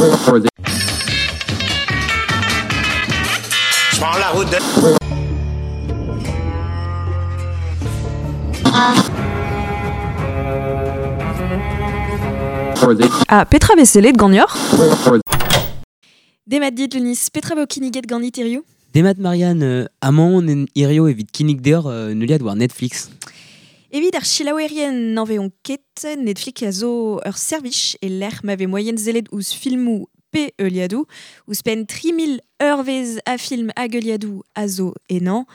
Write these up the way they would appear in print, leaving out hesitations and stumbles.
Je prends la route de... Ah, petra vez sellet ganeoc'h? Demat dit, Lunis, petra vo kinniget ganit hiziv? Demat Marianne, amañ on en hirio evit kinnig deoc'h un heuliad war Netflix. Evit ar selaouerien n'anveont ket, Netflix a zo ur servij e lec'h ma vez moaien sellet ouzh filmoù pe heuliadoù. Ouzhpenn 3000 eurvezh a film hag heuliadoù a zo ennañ.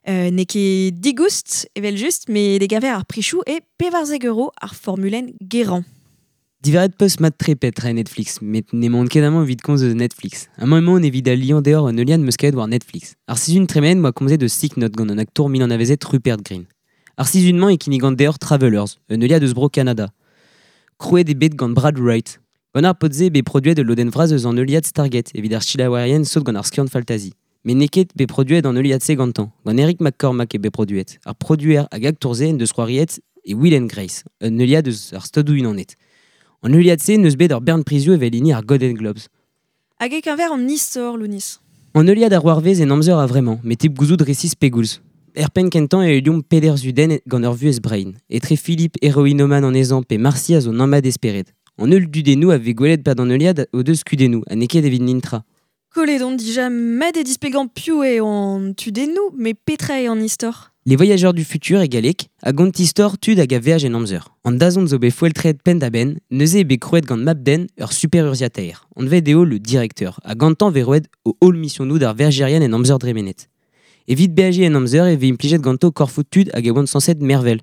N'eo ket digoust, evel-just, met e-keñver ar prichoù eo 14 euro ar formulenn gerañ. Diverret peus mat-tre petra eo Netflix, met n'emaon ket amañ evit komz eus Netflix. Amañ emaon evit aliañ deoc'h un heuliad 'm eus kavet war Netflix. Ar sizhun tremenet 'm boa komzet eus Sick Note gant an aktour mil anavezet Rupert Grint. Ar sizhun-mañ e kinnigan deoc'h Travelers, un heuliad eus bro Kanada. Krouet eo bet gant Brad Wright. Gant ar paotr-se eo bet produet ul lodenn vras eus an heuliad Stargate evit ar selaouerien sot gant ar skiant faltazi. Met n'eo ket bet produet an heuliad-se gantañ. Gant Eric McCormack eo bet produet. Ar produer hag aktour-se en deus c'hoariet e Will and Grace, un heuliad eus ar Stadoù-Unanet. An heuliad-se n'eus bet ur bern prizioù evel hini ar Golden Globes. Hag e-keñver an istor, Lounis? An heuliad a c'hoarvez en amzer a-vremañ, met hep gouzout resis pegoulz. Er penn-kentañ e heuliomp peder zudenn gant ur vuhez brein, etre Philippe heroinoman anezhañ pe Marcy a zo nammat e spered. An holl dudennoù a vez gwelet 'pad an heuliad o deus kudennoù ha n'eo ket evit nintra. Kollet on dija mat eo displegañ piv eo an tudennoù, met petra eo an istor? Les Voyageurs du futur e galleg a gont istor tud hag a veaj en amzer. An dazont zo bet foeltret penn-da-benn, neuze eo bet krouet gant mab-den ur superurzhiataer. Anvet eo le directeur, ha gantañ vez roet o holl misionoù d'ar veajerien en amzer dremenet. Evit beajiñ en amzer e vez implijet ganto korfoù tud hag e oant sañset mervel.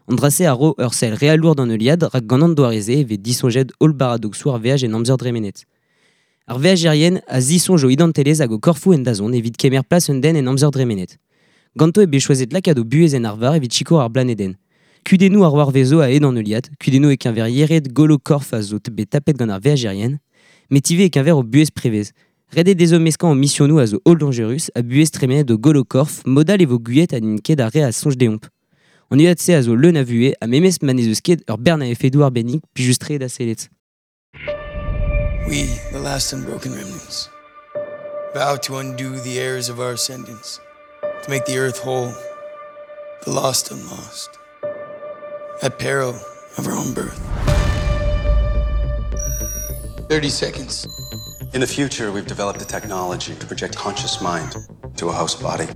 An dra-se a ro ur sell realour d'an heuliad rak gant an doare-se e vez disoñjet holl baradoksoù ar veaj en amzer dremenet. Ar veajerien a zisoñj o identelezh hag o korfoù en dazont evit kemer plas un den en amzer dremenet. Ganto eo bet choazet lakaat o buhez en arvar evit sikour ar blanedenn. Kudennoù ar c'hoarvezo a-hed an heuliad, kudennoù e-keñver yered golo korf a zo bet tapet gant ar veajerien, met ivez e-keñver o buhez prevez. Ret eo dezho meskañ o misionoù a zo holl dañjerus ha buhez tremenet o golo korf, mod all e vo gouiet ha n'int ket ar re a soñj deomp. An heuliad-se a zo leun a vuhez ha memes ma n'ez eus ket ur bern a efedoù arbennik plijus-tre da sellet. We, the last unbroken remnants, vow to undo the errors of our ascendance, to make the earth whole, the lost unlost, at peril of our own birth. 30 seconds. In the future, we've developed a technology to project conscious mind to a host body.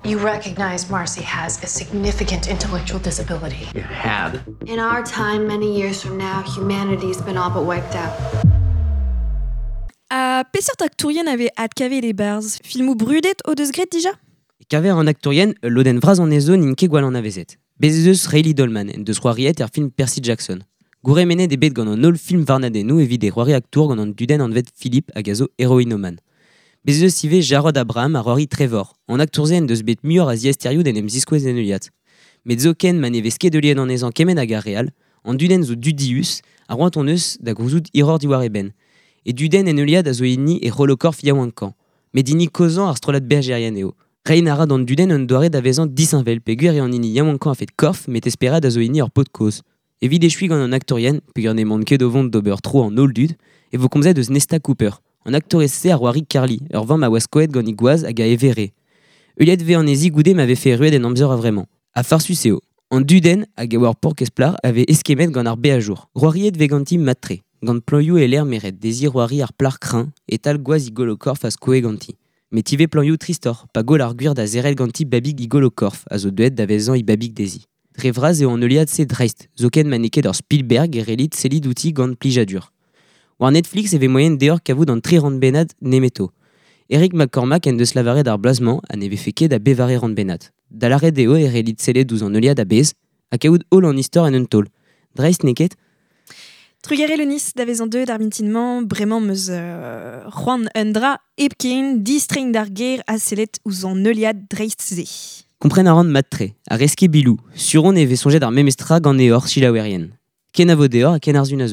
You recognize Marcy has a significant intellectual disability. You had. In our time, many years from now, humanity's been all but wiped out. Ha peseurt aktourien a vez adkavet e-barzh? Filmoù brudet o deus graet dija? E-keñver an aktourien, ul lodenn vras anezho n'int ket gwall anavezet. Bez' ez eus Rayleigh Dolman en deus c'hoariet er film Percy Jackson. Gourhemennet eo bet gant an holl film varnadennoù evit e c'hoari aktour gant an dudenn anvet Philippe hag a zo heroinoman. Bez' ez eus ivez Jarod Abraham a c'hoari Trevor. An aktour-se en deus bet muioc'h a ziaesterioù d'en em ziskouez en heuliad. Met zoken ma ne vez ket heuliet anezhañ kement hag ar re all, an dudenn zo dudius ha c'hoant hon eus da gouzout hiroc'h diwar e benn. E dudenn en heuliad a zo hini e c'holo-korf yaouankañ. Met hini kozhañ ar strollad berjerien eo. Reiñ a ra d'an dudenn un doare da vezañ disheñvel peogwir eo an hini yaouankañ a-fet korf met esperad a zo hini ur paotr kozh. Evit echuiñ gant an aktourien, peogwir n'emaon ket o vont d'ober tro an holl dud, e vo komzet eus Nesta Cooper. An aktourez-se a c'hoari Carly, ur vamm a oa skoet gant he gwaz hag a evere. Heuliet vez anezhi goude ma vefe erruet en amzer a-vremañ. Ha farsus eo. An dudenn, hag a oa ur paourkaezh plac'h, a vez eskemmet gant ar beajour. C'hoariet vez ganti mat-tre. Gant plañioù e-lec'h meret dezhi c'hoari ar plac'h kreñv, e-tal gwaz he golo-korf a skoe ganti. Met ivez plañioù tristoc'h, pa goll ar gwir da zerc'hel ganti babig he golo-korf, a zo deuet da vezañ he babig dezhi. Dre vras eo an heuliad-se dreist, zoken ma n'eo ket ur Spielberg e c'hellit sellit outi gant plijadur. War Netflix e vez moaien deoc'h kavout an tri rannbennad nemeto. Eric McCormack en deus lavaret ar bloaz-mañ ha ne vefe ket a bevare rannbennad. Da lâret eo e c'hellit sellet ouzh an heuliad a-bezh ha kaout holl an istor en un taol. Dreist n'eo ket? Trugarez Lenis da vezañ deuet ar mintin-mañ, bremañ 'm eus c'hoant un dra hepken, distreiñ d'ar gêr ha sellet ouzh an heuliad dreist-se. Kompren a ran mat-tre, ha reske biloù, sur on e vez soñjet ar memes tra ganeoc'h selaouerien. Kenavo deoc'h ha ken ar sun a zeu.